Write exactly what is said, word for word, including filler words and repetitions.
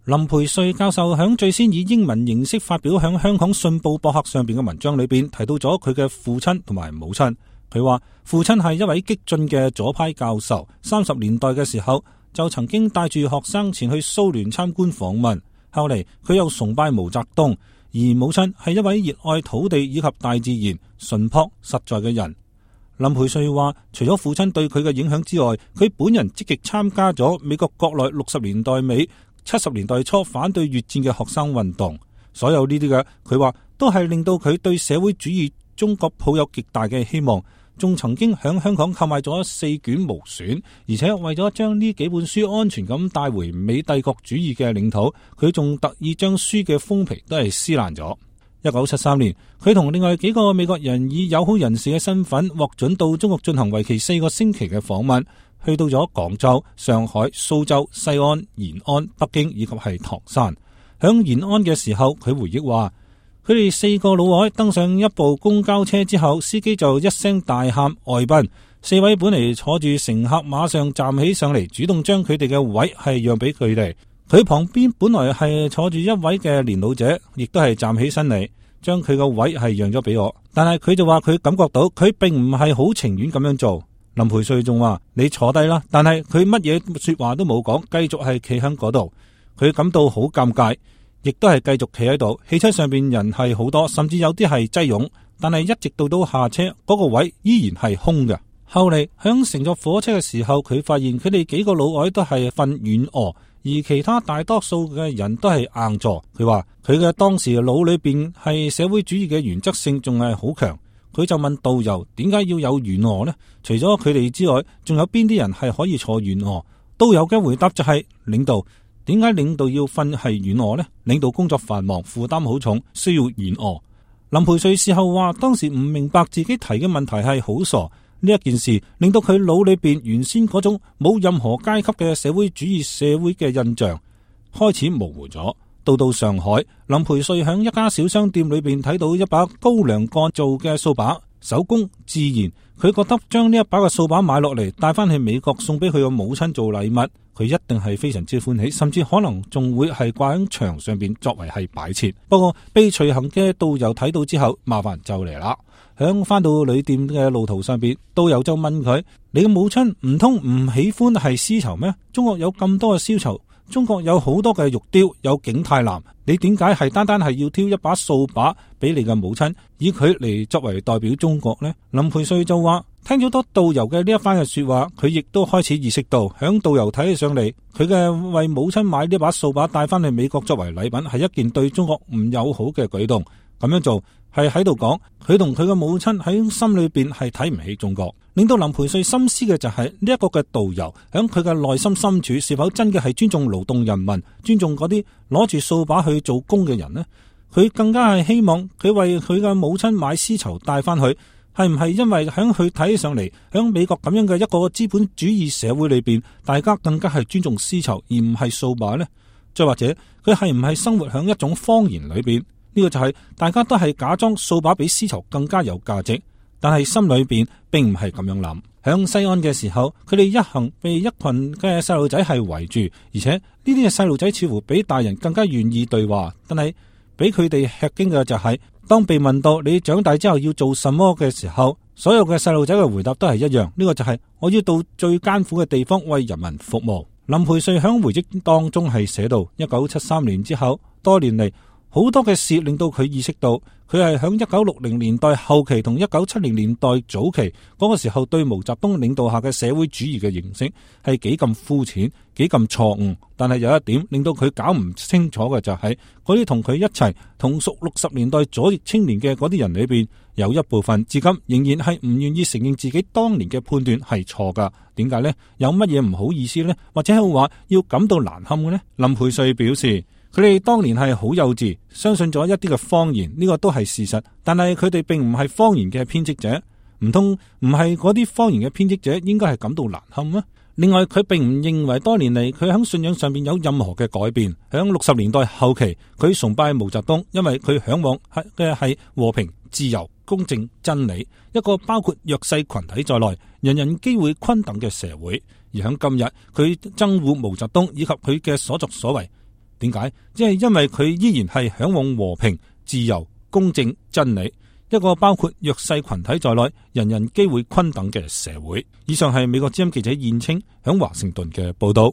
林培瑞教授響最先以英文形式發表響香港信報博客上邊嘅文章裏邊，提到咗佢嘅父親同埋母親。佢話父親係一位激進嘅左派教授，三十年代嘅時候就曾經帶住學生前去蘇聯參觀訪問，後嚟佢又崇拜毛澤東，而母親係一位熱愛土地以及大自然、淳樸實在嘅人。林培瑞話，除咗父親對佢嘅影響之外，佢本人積極參加咗美國國內六十年代尾、七十年代初反對越戰嘅學生運動，所有呢啲嘅佢話都係令到佢對社會主義中國抱有極大嘅希望，仲曾經響香港購買咗四卷無損，而且為咗將呢幾本書安全咁帶回美帝國主義嘅領土，佢仲特意將書嘅封皮都係撕爛咗。一九七三年，佢同另外幾個美國人以友好人士嘅身份獲准到中國進行為期四個星期嘅訪問，去到咗廣州、上海、蘇州、西安、延安、北京以及係唐山。響延安嘅時候，佢回憶話，佢哋四個老外登上一部公交車之後，司機就一聲大喊外賓，四位本嚟坐住乘客馬上站起上嚟，主動將佢哋嘅位係讓俾佢哋。佢旁邊本來係坐住一位嘅年老者，亦都係站起身嚟，將佢個位係讓咗俾我。但係佢就話佢感覺到佢並唔係好情願咁樣做。林培瑞仲話，你坐低啦，但係佢乜嘢說話都冇講，繼續係企喺嗰度。佢感到好尷尬，亦都係繼續企喺度。汽車上邊人係好多，甚至有啲係擠擁，但係一直到到下車嗰個位依然係空嘅。後嚟響乘坐火車嘅時候，佢發現佢哋幾個老外都係瞓軟臥，而其他大多數嘅人都係硬座。佢話佢嘅當時腦裏邊係社會主義嘅原則性仲係好強。佢就問導遊點解要有軟臥呢？除咗佢哋之外，仲有邊啲人係可以坐軟臥？導遊嘅回答就係、是、領導。點解領導要瞓係軟臥呢？領導工作繁忙，負擔好重，需要軟臥。林培瑞事後話，當時唔明白自己提嘅問題係好傻。呢一件事令到佢腦裏邊原先嗰種冇任何階級嘅社會主義社會嘅印象開始模糊咗。到到上海，林培瑞響一家小商店裏邊睇到一把高粱鋼做嘅掃把，手工自然，佢覺得將呢一把嘅掃把買落嚟帶翻去美國送俾佢個母親做禮物，佢一定係非常之歡喜，甚至可能仲會係掛喺牆上邊作為係擺設。不過被隨行嘅導遊睇到之後，麻煩就嚟啦。響翻到旅店嘅路途上邊，導遊就問佢：你嘅母親唔通唔喜歡係絲綢咩？中國有咁多嘅絲綢，中國有好多嘅玉雕，有景泰藍，你點解係單單係要挑一把掃把俾你嘅母親，以佢嚟作為代表中國呢？林培瑞就話：聽咗多導遊嘅呢一番嘅說話，佢亦都開始意識到，響導遊睇起上嚟，佢嘅為母親買呢把掃把帶翻去美國作為禮品，係一件對中國唔友好嘅舉動。咁樣做係喺度講，佢同佢嘅母親喺心裏邊係睇唔起中國。令到林培瑞深思嘅就係呢一個嘅導遊響佢嘅內心深處是否真嘅係尊重勞動人民，尊重嗰啲攞住掃把去做工嘅人呢？佢更加係希望佢為佢嘅母親買絲綢帶翻去，係唔係因為響佢睇起上嚟，響美國咁樣嘅一個資本主義社會裏邊，大家更加係尊重絲綢而唔係掃把呢？再或者佢係唔係生活響一種謊言裏邊？呢個就係大家都係假裝掃把比絲綢更加有價值，但係心裏邊並唔係咁樣諗。響西安嘅時候，佢哋一行被一群嘅細路仔係圍住，而且呢啲嘅細路仔似乎比大人更加願意對話。但係俾佢哋吃驚嘅就係、是，當被問到你長大之後要做什麼嘅時候，所有嘅細路仔嘅回答都係一樣，呢、這個就係我要到最艱苦嘅地方為人民服務。林培瑞響回憶當中係寫到，一九七三年之後，多年嚟，好多嘅事令到佢意識到，佢係響一九六零年代後期同一九七零年代早期嗰個時候對毛澤東領導下嘅社會主義嘅認識係幾咁膚淺，幾咁錯誤。但係有一點令到佢搞唔清楚嘅就係，嗰啲同佢一齊同屬六十年代左翼青年嘅嗰啲人裏邊，有一部分至今仍然係唔願意承認自己當年嘅判斷係錯噶。點解呢？有乜嘢唔好意思呢？或者係話要感到難堪嘅呢？林培瑞表示，佢哋當年係好幼稚，相信咗一啲嘅謊言，呢個都係事實。但係佢哋並唔係謊言嘅編織者，唔通唔係嗰啲謊言嘅編織者應該係感到難堪咩？另外，佢並唔認為多年嚟佢喺信仰上面有任何嘅改變。喺六十年代後期，佢崇拜毛澤東，因為佢向往嘅係和平、自由、公正、真理，一個包括弱勢群體在內，人人機會均等嘅社會。而喺今日，佢憎惡毛澤東以及佢嘅所作所為。點解？即係因為佢依然係向往和平、自由、公正、真理，一個包括弱勢群體在內，人人機會均等嘅社會。以上係美國之音記者燕青響華盛頓嘅報道。